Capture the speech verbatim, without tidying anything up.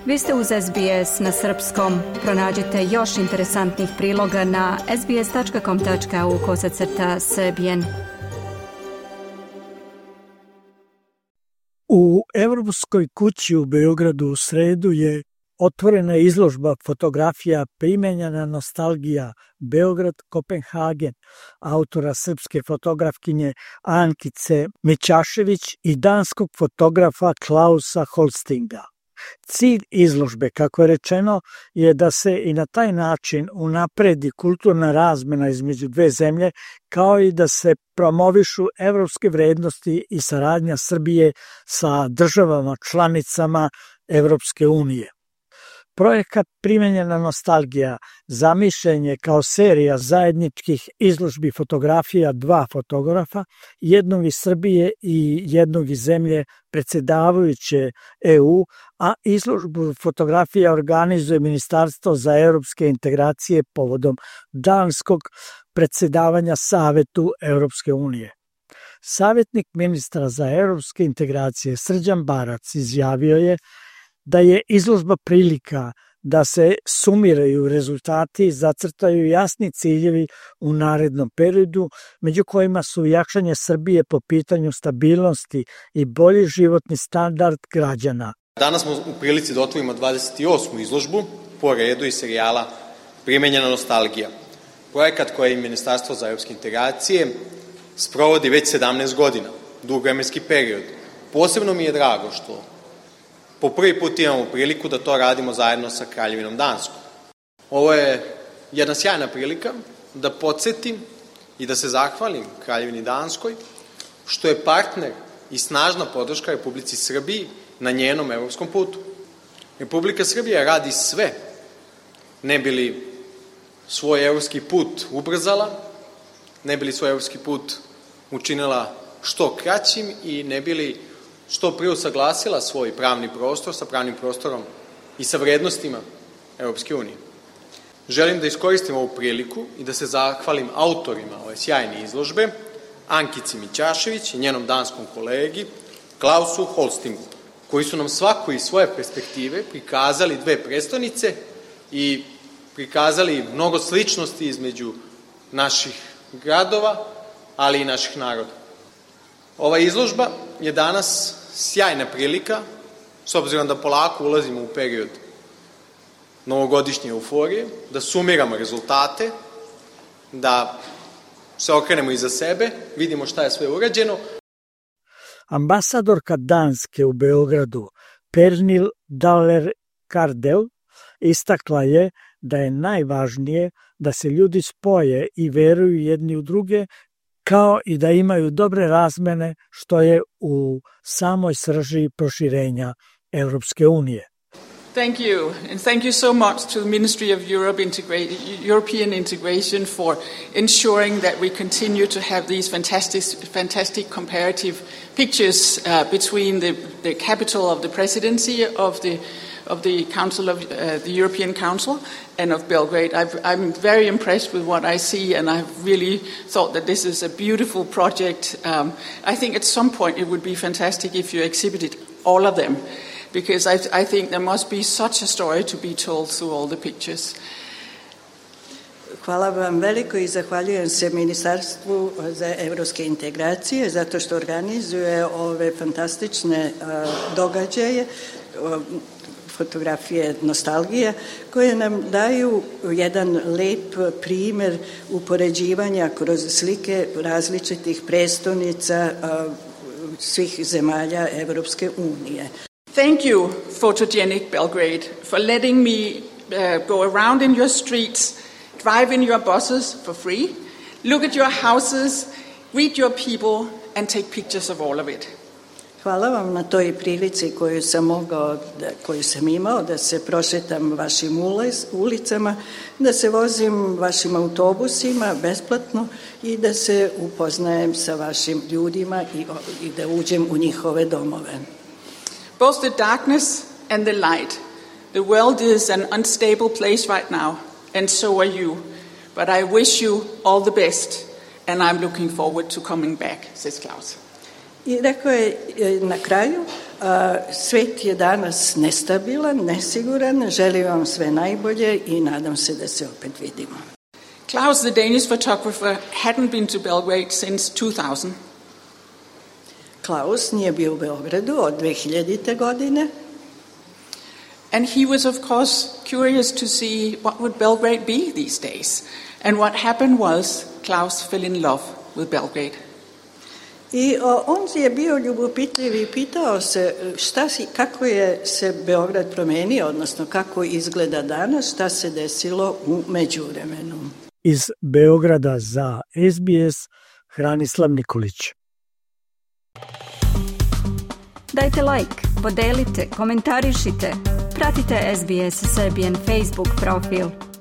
Vi ste uz S B S na srpskom. Pronađite još interesantnih priloga na sbs.com.au kosacrta srbijen. U Evropskoj kući u Beogradu u sredu je otvorena izložba fotografija Primenjena nostalgija Beograd-Kopenhagen autora srpske fotografkinje Ankice Mićašević i danskog fotografa Klausa Holstinga. Cilj izložbe, kako je rečeno, je da se i na taj način unapredi kulturna razmena između dve zemlje, kao i da se promovišu evropske vrednosti i saradnja Srbije sa državama članicama Evropske unije. Projekat Primenjena nostalgija zamišljen je kao serija zajedničkih izložbi fotografija dva fotografa, jednog iz Srbije i jednog iz zemlje predsjedavajuće E U, a izložbu fotografija organizuje Ministarstvo za evropske integracije povodom danskog predsjedavanja Savetu Evropske unije. Savjetnik ministra za evropske integracije Srđan Barac izjavio je da je izložba prilika da se sumiraju rezultati i zacrtaju jasni ciljevi u narednom periodu, među kojima su jačanje Srbije po pitanju stabilnosti i bolji životni standard građana. Danas smo u prilici da otvorimo dvadeset osmu izložbu po redu iz serijala Primenjena nostalgija. Projekat koji Ministarstvo za evropske integracije sprovodi već sedamnaest godina, dug vremenski period. Posebno mi je drago što po prvi put imamo priliku da to radimo zajedno sa Kraljevinom Danskom. Ovo je jedna sjajna prilika da podsjetim i da se zahvalim Kraljevini Danskoj što je partner i snažna podrška Republici Srbiji na njenom evropskom putu. Republika Srbija radi sve ne bi li svoj evropski put ubrzala, ne bi li svoj evropski put učinila što kraćim i ne bi li što prije usaglasila svoj pravni prostor sa pravnim prostorom i sa vrednostima Evropske unije. Želim da iskoristim ovu priliku i da se zahvalim autorima ove sjajne izložbe, Ankici Mićašević i njenom danskom kolegi Klausu Holstingu, koji su nam svako iz svoje perspektive prikazali dve prestonice i prikazali mnogo sličnosti između naših gradova, ali i naših naroda. Ova izložba je danas sjajna prilika, s obzirom da polako ulazimo u period novogodišnje euforije, da sumiramo rezultate, da se okrenemo iza sebe, vidimo šta je sve urađeno. Ambasadorka Danske u Beogradu, Pernil Daller-Kardel, istakla je da je najvažnije da se ljudi spoje i veruju jedni u druge, kao i da imaju dobre razmene, što je u samoj srži proširenja Evropske unije. Thank you, and thank you so much to the Ministry of Europe Integra- European Integration for ensuring that we continue to have these fantastic, fantastic comparative pictures uh, between the, the capital of the presidency of the of the Council of uh, the European Council and of Belgrade. I've, I'm very impressed with what I see, and I've really thought that this is a beautiful project. Um, I think at some point it would be fantastic if you exhibited all of them, because I, I think there must be such a story to be told through all the pictures. Hvala vam veliko i zahvaljujem se Ministarstvu za evropske integracije zato što organizuje ove fantastične uh, događaje, uh, fotografije nostalgije, koje nam daju jedan lep primer upoređivanja kroz slike različitih prestonica uh, svih zemalja Evropske unije. Thank you, Photogenic Belgrade, for letting me uh, go around in your streets, drive in your buses for free, look at your houses, greet your people, and take pictures of all of it. Hvala vam na toj prilici koju sam mogao, da, koju sam imao da se prošetam vašim ulicama, da se vozim vašim autobusima besplatno i da se upoznajem sa vašim ljudima i, i da uđem u njihove domove. Both the darkness and the light. The world is an unstable place right now, and so are you. But I wish you all the best, and I'm looking forward to coming back, says Klaus. I rekao je na kraju, Svet je danas nestabilan, nesiguran, želim vam sve najbolje i nadam se da se opet vidimo. Klaus, the Danish photographer, hadn't been to Belgrade since two thousand. Klaus nije bio u Beogradu od dve hiljadite. godine. And he was, of course, curious to see what would Belgrade be these days. And what happened was Klaus fell in love with Belgrade. I o, on je bio ljubopitljiv i pitao se šta si, kako je se Beograd promenio, odnosno kako izgleda danas, šta se desilo u međuvremenu. Iz Beograda za S B S, Hranislav Nikolić. Dajte like, podelite, komentarišite, pratite S B S Serbian Facebook profil.